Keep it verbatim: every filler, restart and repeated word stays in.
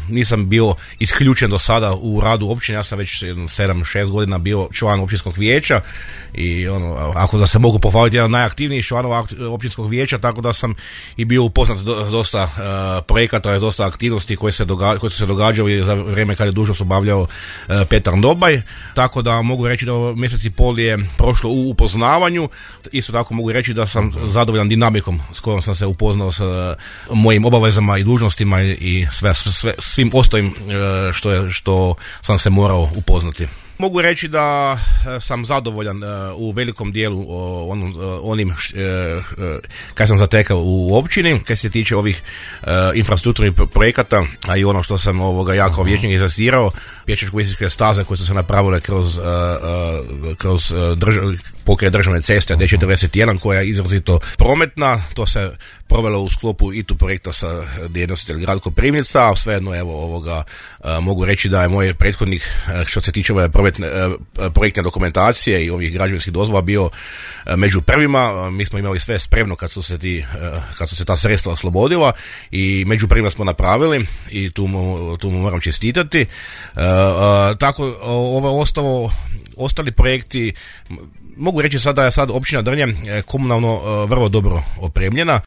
nisam bio isključen do sada u radu općine, ja sam već sedam šest godina bio član općinskog vijeća i ono, ako da se mogu pohvaliti, jedan najaktivnijih članova općinskog vijeća, tako da sam i bio upoznat do, dosta uh, projekata, dosta aktivnosti koje, se doga, koje su se događali za vrijeme kad je dužnost obavljao uh, Petar Dobaj, tako da mogu reći da ovo mjesec i pol je prošlo u upoznavanju. Isto tako mogu reći da sam zadovoljan dinamikom s kojom sam se upoznao sa mojim obavezama i dužnostima i sve, sve, svim ostalim što, je, što sam se morao upoznati. Mogu reći da sam zadovoljan u velikom dijelu onom, onim kaj sam zatekao u općini, kaj se tiče ovih infrastrukturnih projekata, a i ono što sam ovoga ja kao vijećnik izastirao, pješačko-biciklističke staze koje su se napravile kroz, kroz držav, pokraj državne ceste D četrdeset jedan koja je izrazito prometna. To se provelo u sklopu I T U projekta sa nositelj grad Koprivnica, a svejedno evo ovoga mogu reći da je moj prethodnik što se tiče ove prometne, projektne dokumentacije i ovih građevinskih dozvola bio među prvima. Mi smo imali sve spremno kad su se ti, kad su se ta sredstva oslobodila i među prvima smo napravili i tu mu, tu mu moram čestitati. Tako ovo ostalo, ostali projekti, mogu reći sada da je sad općina Drnje komunalno vrlo dobro opremljena.